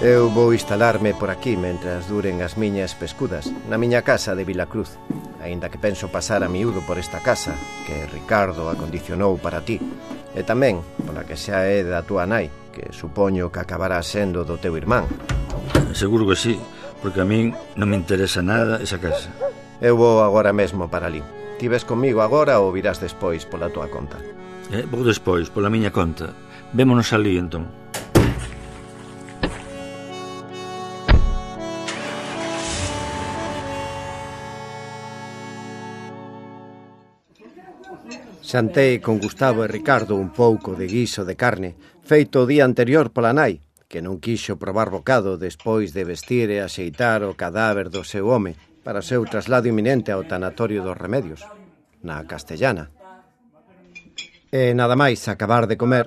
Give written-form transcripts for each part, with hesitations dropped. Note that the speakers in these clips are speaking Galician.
Eu vou instalarme por aquí mentras duren as miñas pescudas, na miña casa de Vilacruz, aínda que penso pasar a miúdo por esta casa que Ricardo acondicionou para ti, e tamén pola que xa é da túa nai, que supoño que acabará sendo do teu irmán. Seguro que sí, porque a min non me interesa nada esa casa. Eu vou agora mesmo para ali. Ti ves comigo agora ou virás despois pola túa conta? Vou despois, pola miña conta. Vémonos ali, entón. Xantei con Gustavo e Ricardo un pouco de guiso de carne, feito o día anterior pola nai, que non quixo probar bocado despois de vestir e axeitar o cadáver do seu home para o seu traslado inminente ao tanatorio dos Remedios, na Castellana. E nada máis acabar de comer,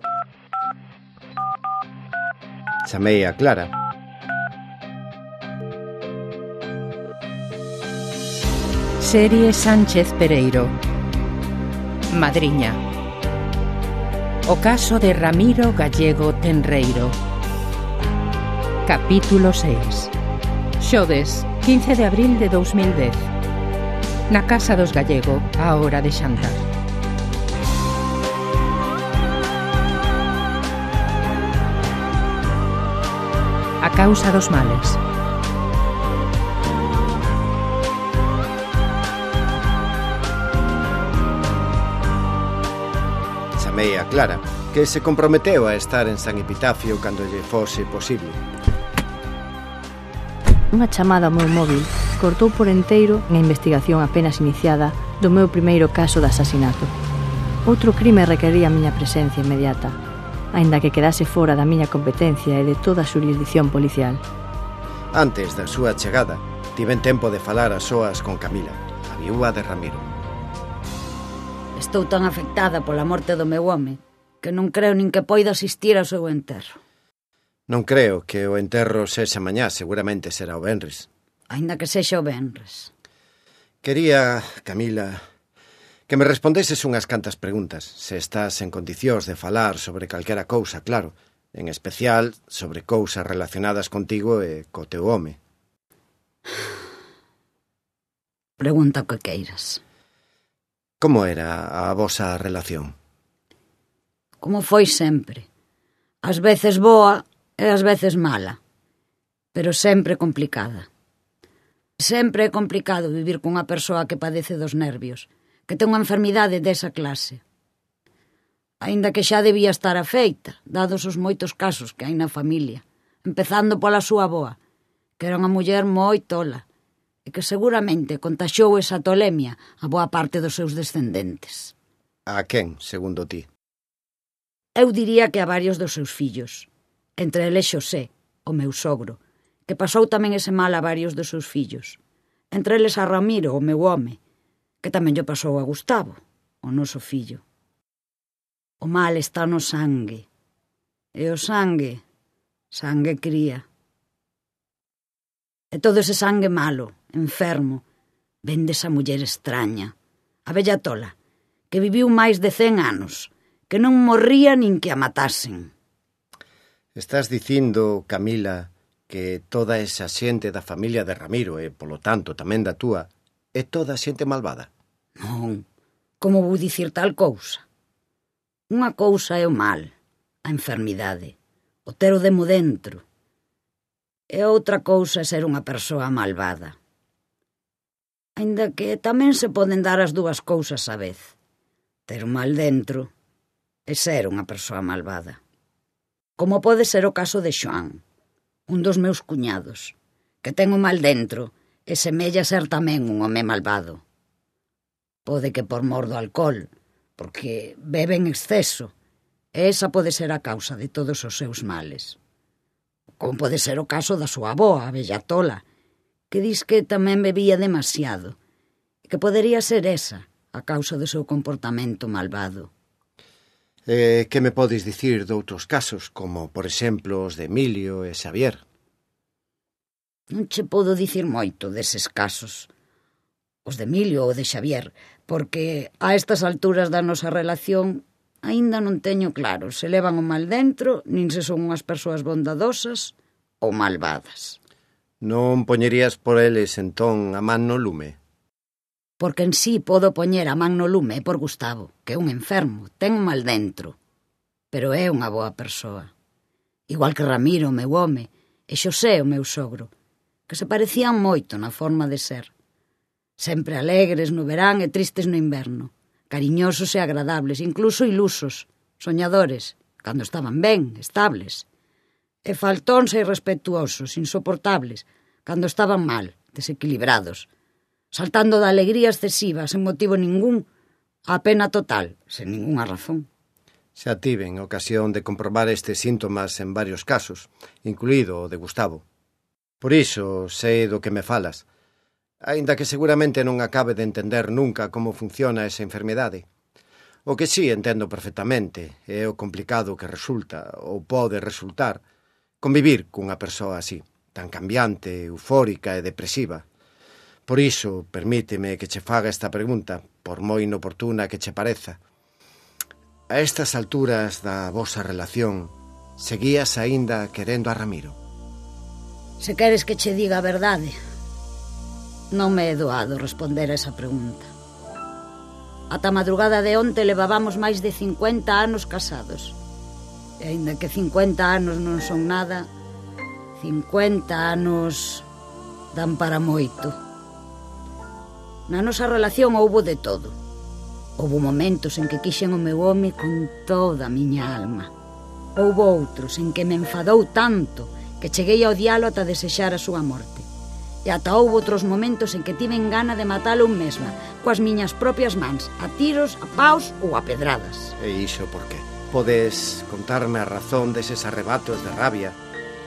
chamei a Clara. Serie Sánchez Pereiro. Madriña. O caso de Ramiro Gallego Tenreiro. Capítulo 6. Xoves, 15 de abril de 2010. Na casa dos Gallego, á hora de xantar. A causa dos males. Chamei a Clara, que se comprometeu a estar en San Epitafio cando lle fose posible. Unha chamada ao meu móvil cortou por enteiro a investigación apenas iniciada do meu primeiro caso de asasinato. Outro crime requería a miña presencia inmediata, aínda que quedase fora da miña competencia e de toda a xurisdicción policial. Antes da súa chegada, tiven tempo de falar a soas con Camila, a viúva de Ramiro. Estou tan afectada pola morte do meu home que non creo nin que poida asistir ao seu enterro. Non creo que o enterro sexa mañá, seguramente será o venres. Aínda que sexa o venres. Quería, Camila, que me respondeses unhas cantas preguntas, se estás en condicións de falar sobre calquera cousa, claro, en especial sobre cousas relacionadas contigo e co teu home. Pregunta o que queiras. Como era a vosa relación? Como foi sempre. Ás veces boa e ás veces mala, pero sempre complicada. Sempre é complicado vivir cunha persoa que padece dos nervios, que ten unha enfermidade desa clase. Aínda que xa debía estar afeita, dados os moitos casos que hai na familia, empezando pola súa avoa, que era unha muller moi tola, e que seguramente contaxiou esa tolemia a boa parte dos seus descendentes. A quen, segundo ti? Eu diría que a varios dos seus fillos, entre eles Xosé, o meu sogro, que pasou tamén ese mal a varios dos seus fillos, entre eles a Ramiro, o meu home, que tamén lle pasou a Gustavo, o noso fillo. O mal está no sangue, e o sangue cría. E todo ese sangue malo, enfermo, ven desa muller extraña, a vella tola, que viviu máis de 100 anos, que non morría nin que a matasen. Estás dicindo, Camila, que toda esa xente da familia de Ramiro e, polo tanto, tamén da túa, é toda xente malvada? Non, como vou dicir tal cousa? Unha cousa é o mal, a enfermidade, o ter o demo dentro, e outra cousa é ser unha persoa malvada. Aínda que tamén se poden dar as dúas cousas á vez. Ter o mal dentro e ser unha persoa malvada. Como pode ser o caso de Xoán, un dos meus cuñados, que ten o mal dentro e semella ser tamén un home malvado. Pode que por mor do alcohol, porque bebe en exceso, e esa pode ser a causa de todos os seus males. Como pode ser o caso da súa avoa, a vella tola, que dis que tamén bebía demasiado, e que podería ser esa a causa do seu comportamento malvado. Que me podes dicir doutros casos, como, por exemplo, os de Emilio e Xavier? Non che podo dicir moito deses casos, os de Emilio ou de Xavier, porque a estas alturas da nosa relación aínda non teño claro se levan o mal dentro, nin se son unhas persoas bondadosas ou malvadas. Non poñerías por eles entón a man no lume? Porque en sí podo poñer a man no lume por Gustavo, que é un enfermo, ten un mal dentro, pero é unha boa persoa. Igual que Ramiro, o meu home, e Xosé, o meu sogro, que se parecían moito na forma de ser. Sempre alegres no verán e tristes no inverno, cariñosos e agradables, incluso ilusos, soñadores, cando estaban ben, estables, e faltóns e irrespetuosos, insoportables, cando estaban mal, desequilibrados, saltando da alegría excesiva, sen motivo ningún, á pena total, sen ningunha razón. Xa tiven ocasión de comprobar estes síntomas en varios casos, incluído o de Gustavo. Por iso sei do que me falas, aínda que seguramente non acabe de entender nunca como funciona esa enfermidade. O que sí entendo perfectamente é o complicado que resulta, ou pode resultar, convivir cunha persoa así, tan cambiante, eufórica e depresiva. Por iso, permíteme que che faga esta pregunta, por moi inoportuna que che pareza. A estas alturas da vosa relación, seguías aínda querendo a Ramiro? Se queres que che diga a verdade, non me é doado responder a esa pregunta. Ata a madrugada de onte levabamos máis de 50 anos casados. E aínda que 50 anos non son nada, 50 anos dan para moito. Na nosa relación houbo de todo. Houbo momentos en que quixen o meu home con toda a miña alma. Houbo outros en que me enfadou tanto que cheguei a odialo ata desexar a súa morte. E ata houbo outros momentos en que tiven gana de matalo un mesma, coas miñas propias mans, a tiros, a paus ou a pedradas. E iso por qué? Podes contarme a razón deses arrebatos de rabia?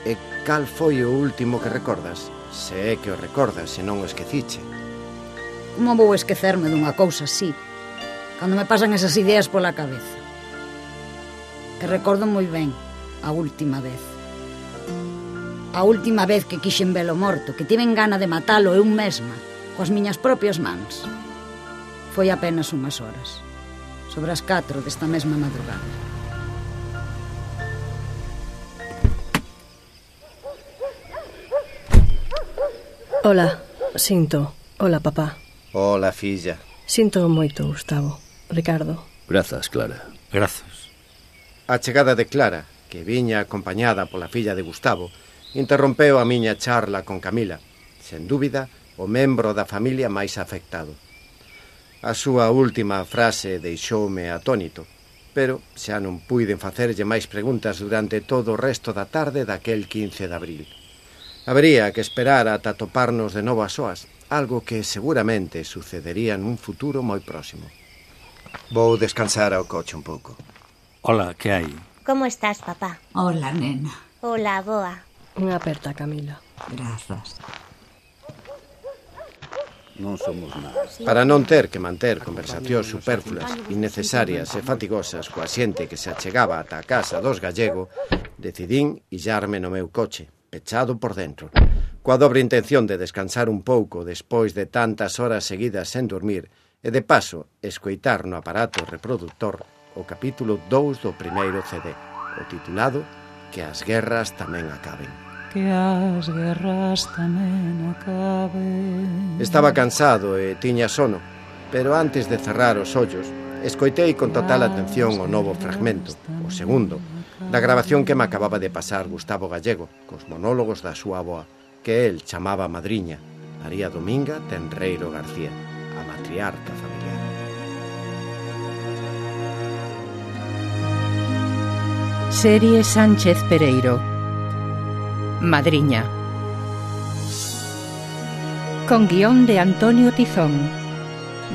E cal foi o último que recordas? Se é que o recordas, se non o esqueciche. Como vou esquecerme dunha cousa así, cando me pasan esas ideas pola cabeza? E recordo moi ben a última vez. A última vez que quixen velo morto, que tiven gana de matalo eu mesma, coas miñas propias mans. Foi apenas unhas horas, sobre as 4 desta mesma madrugada. Hola, sinto. Hola, papá. Hola, filla. Sinto moito, Gustavo. Ricardo. Grazas, Clara. Grazas. A chegada de Clara, que viña acompañada pola filla de Gustavo, interrompeu a miña charla con Camila, sen dúbida, o membro da familia máis afectado. A súa última frase deixoume atónito, pero xa non puiden facerlle máis preguntas durante todo o resto da tarde daquel 15 de abril. Habería que esperar ata toparnos de novo a soas, algo que seguramente sucedería nun futuro moi próximo. Vou descansar ao coche un pouco. Hola, que hai? Como estás, papá? Hola, nena. Hola, boa. Unha aperta, Camila. Grazas. Non somos nada. Para non ter que manter conversacións superfluas, innecesarias e fatigosas coa xente que se achegaba ata a casa dos Gallego, decidín illarme no meu coche, pechado por dentro, coa dobre intención de descansar un pouco despois de tantas horas seguidas sen dormir e, de paso, escoitar no aparato reproductor o capítulo 2 do primeiro CD, o titulado Que as guerras tamén acaben. Que as guerras tamén acaben. Estaba cansado e tiña sono, pero antes de cerrar os ollos, escoitei con total atención o novo fragmento, o segundo, da grabación que me acababa de pasar Gustavo Gallego, cos monólogos da súa avoa, que el chamaba madriña, María Dominga Tenreiro García, a matriarca familiar. Serie Sánchez Pereiro. Madriña. Con guión de Antonio Tizón,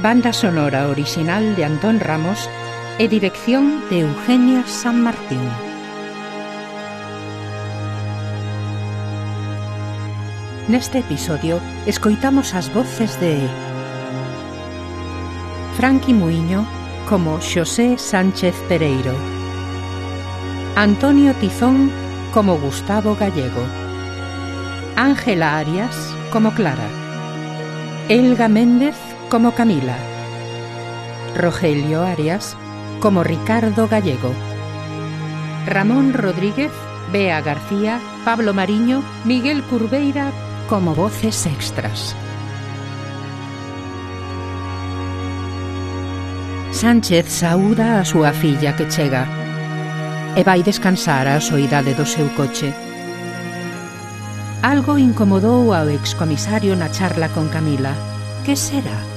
banda sonora original de Antón Ramos e dirección de Eugenia San Martín. Neste episodio escoitamos as voces de Franqui Muiño como Xosé Sánchez Pereiro, Antonio Tizón como Gustavo Gallego, Ángela Arias como Clara, Elga Méndez como Camila, Rogelio Arias como Ricardo Gallego, Ramón Rodríguez Bea García, Pablo Mariño, Miguel Curveira como voces extras. Sánchez saúda a súa filla que chega e vai descansar á soidade do seu coche. Algo incomodou ao excomisario na charla con Camila. Que será?